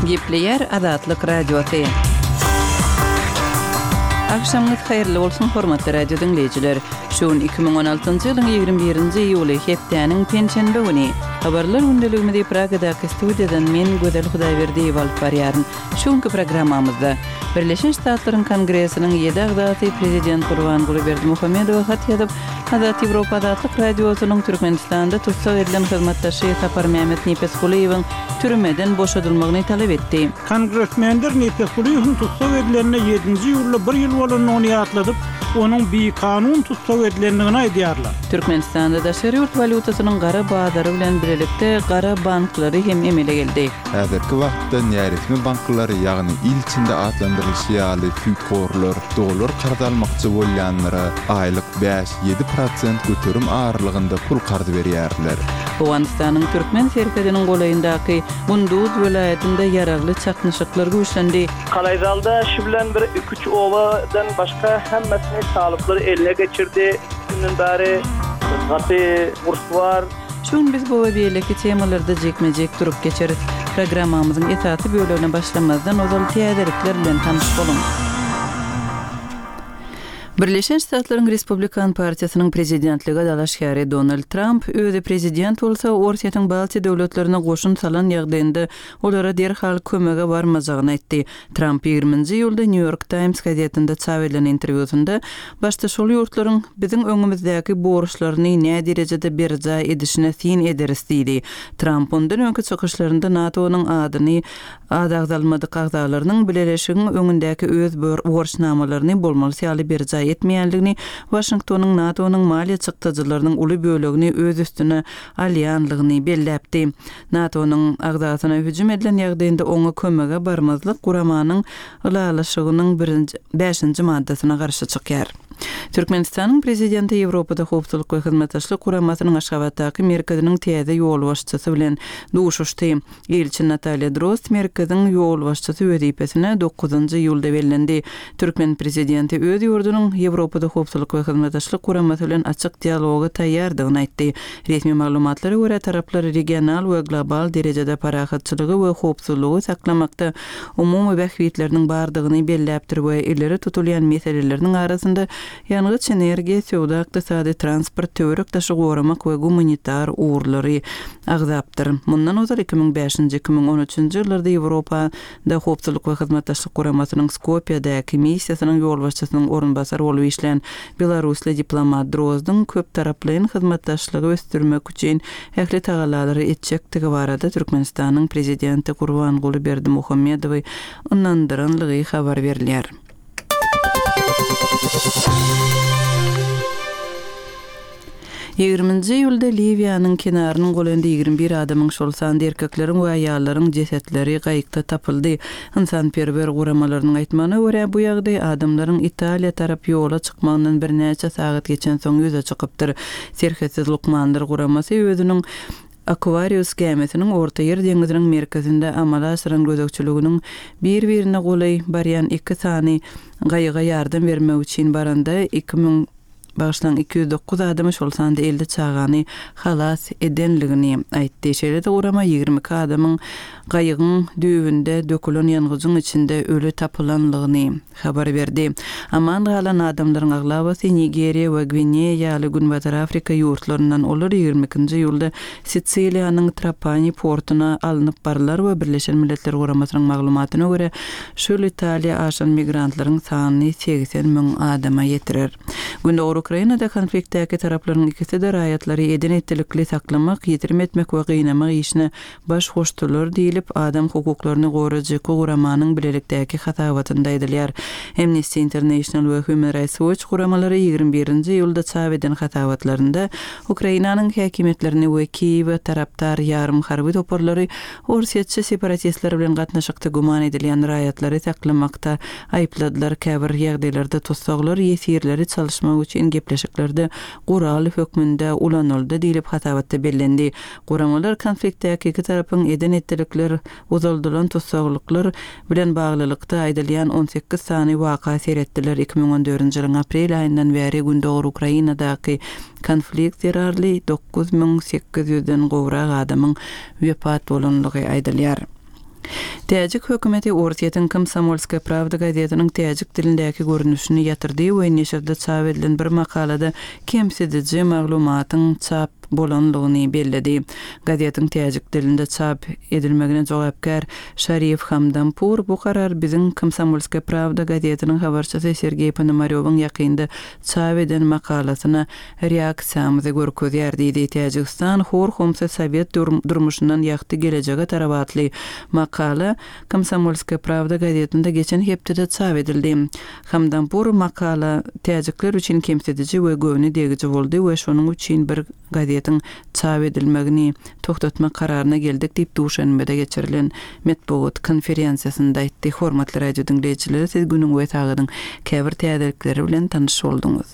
Gepleýär Azatlyk Radiosy. Agşamyňyz haýyrly bolsun, hormatly radio diňleýjiler! Şu gün 2016-njy ýylyň 21-nji iýuly, hepdäniň penşenbe güni. Habarlar gündeligimizi Pragadaky studiýadan men, Gözel Hudaýberdiýewa alyp barýaryn. Şu günki programmamyzda, Birleşen Ştatlaryň Kongresiniň ýedi agzasy prezident Gurbanguly Berdimuhamedowa hat ýazyp, Azat Ýewropa Azatlyk Radiosynyň Türkmenistanda tussag edilen hyzmatdaşy Saparmämmet Nepesgulyýewiň türmeden boşadylmagyny talap etdi. Kongresmenler Nepesgulyýewiň tussag edilenine ýedinji iýulda bir ýyl bolandygyny ýatladyp, onuň bikanun tussag edilendigini aýdýarlar. Türkmenistanda daşary ýurt walýutasynyň gara bazary bilen birlikde gara banklary hem emele geldi. Häzirki wagtda näresmi banklar, ýagny il içinde atlandyrylyşy ýaly süýthorlar dollar karz almakçy bolýanlara aýlyk bäş, 7% göterim aralygynda pul karz berýärler. Owganystanyň türkmen serhediniň golaýyndaky Gunduz welaýatynda ýaragly çaknyşyklar güýçlendi. Kalaýzalda şu bilen bir iki-üç obadan başga hemmesini talyplar eline geçirdi. Şundan bäri gaty urs bar. Şu gün biz bu we beýleki temalarda jikme-jik durup geçeris. Programmamyzyň esasy bölegine başlamazdan ozal täzelikler bilen tanyş boluň. Birleşen Ştatlaryň Respublikan partiýasynyň prezidentlige dalaşgäri Donald Tramp özi prezident bolsa, Orsýetiň Baltiýa döwletlerine goşun salan ýagdaýynda olara derhal kömege barmajagyny aýtdy. Tramp ýigriminji iýulda Nýu-Ýork Taýms gazetinde çap edilen interwýusynda başda şol ýurtlaryň biziň öňümizdäki borçlaryny näderejede berjaý edişine syn ederis diýdi. Tramp mundan öňki çykyşlarynda NATO-nyň adyny ady agzalmadyk agzalarynyň bileleşigiň öňündäki öz borçnamalaryny bolmalysy ýaly berjaý etmeýänligini, Waşingtonyň NATO-nyň maliýe çykdajylarynyň uly bölegini öz üstüne alýanlygyny belläpdi. NATO-nyň agzasyna hüjüm edilen ýagdaýynda oňa kömege barmazlyk guramanyň ylalaşygynyň birinji, bäşinji maddasyna garşy çykýar. Türkmenistanyň Prezidenti Ýewropada Howpsuzlyk we Hyzmatdaşlyk Guramasynyň Aşgabatdaky merkeziniň täze ýolbaşçysy bilen duşuşdy. Ilçi Natalýa Drozd merkeziň ýolbaşçysy wezipesine dokuzynjy iýulda bellendi. Türkmen prezidenti öz ýurdunyň Ýewropada Howpsuzlyk we Hyzmatdaşlyk Guramasy bilen açyk dialoga taýýardygyny aýtdy. Resmi maglumatlara görä, taraplar regional we global derejede parahatçylygy we howpsuzlygy saklamakda umumy bähbitleriniň bardygyny belläpdir we ileri tutulýan meseleleriniň arasynda ýangyç-energiýa, söwda-ykdysady, transport, töwerek-daşy goramak we gumanitar ugurlary agzapdyr. Mundan ozal 2005-nji, 2013-nji ýyllarda Ýewropa Da Howpsuzlyk we Hyzmatdaşlyk Guramasynyň Skopýadaky missiýasynyň ýolbaşçysynyň orunbasary bolup işlän belarusly diplomat Drozdyň köptaraplaýyn hyzmatdaşlygy ösdürmek üçin ähli tagallalary etjekdigi barada Türkmenistanyň Prezidenti Gurbanguly Berdimuhamedowy ynandyranlygy habar berilýär. Ýigriminji iýulda Liwiýanyň kenarynyň golaýynda 21 adamyň, şol sanda erkekleriň we aýallaryň jesetleri gaýykda tapyldy. Ynsanperwer guramalarynyň aýtmagyna görä, bu ýagdaý adamlaryň Italiýa tarap ýola çykmagyndan birnäçe sagat geçensoň ýüze çykypdyr. Serhetsiz lukmanlar guramasy özüniň Aquarius gämisiniň Ortaýer deňziniň merkezinde amala aşyran gözegçiliginiň bir-birine golaý barýan iki sany gaýyga ýardam bermek üçin baranda 2000, bagyşlaň, 209 adamy, şol sanda 50 çagany halas edenligini aýtdy. Şeýle-de gurama 22 adamyň gaýygyň düýbünde dökülen ýangyjyň içinde öli tapylanlygyny habar berdi. Aman galan adamlaryň aglabasy Nigeriýa we Gwineýa ýaly Günbatar Afrika ýurtlaryndan, olar 22-nji iýulda Sisiliýanyň Trapani portuna alnyp barylar we Birleşen Milletler Guramasynyň maglumatyna görä, şu ýyl Italiýa aşan migrantlaryň sanyny 80 müň adama ýetirer. Gündogar Ukrainada konfliktdäki taraplaryň ikisi-de raýatlary eden-etdilikli saklamak, ýitirim etmek we gynamak işine baş goşdular diýlip, adam hukuklaryny goraýjy guramanyň bilelikdäki hasabatynda aýdylýar. Amnesty International we Human Rights Watch guramalary 21-nji iýulda çap eden hasabatlarynda Ukrainanyň häkimiýetlerini we Kiýewe tarapdar ýarym harby toparlary orsýetçi separatistler bilen gatnaşykda güman edilýän raýatlary saklamakda aýypladylar, käbir ýagdaýlarda tussaglar ýesirleri çalyşmak üçin gepleşiklerde gural hökmünde ulanyldy diýlip hasabatda bellendi. Guramalar konfliktdäki iki tarapyň eden-etdilikler, uzaldylan tussaglyklar bilen baglylykda aýdylýan 18 sany waka seretdiler. 2014-nji ýylyň aprel aýyndan bäri gündogar Ukrainadaky konflikt zerarly 9800 den gowrak adamyň wepat bolanlygy aýdylýar. Täjik hökümeti Orsýetiň Komsomolskaýa prawda gazetiniň täjik dilindäki görnüşini ýatyrdy we neşirde çap edilen bir makalada kemsidiji maglumatyň çap bolanlygyny belledi. Gazetiň täjik dilinde çap edilmegine jogapkär Şarif Hamdampur bu karar biziň Komsomolskaýa prawda gazetiniň habarçysy Sergeý Ponomarýowyň ýakynda çap eden makalasyna reaksiýamyzy görkezýär diýdi. Täjigistan hor-homsy sowet durmuşyndan ýagty gelejege tarap atly makala Komsomolskaýa prawda gazetinde geçen hepdede çap edildi. Hamdampur makala täjikler üçin kemsidiji we göwne degiji boldy we şonuň üçin bir gazetiň çap edilmegini togtatmak kararyna geldik diýip Duşenbede geçirilen metbugat konferensiýasynda aýtdy. Hormatly radio diňleýjiler siz günüň we sagadyň käbir täzelikleri bilen tanyş bolduňyz.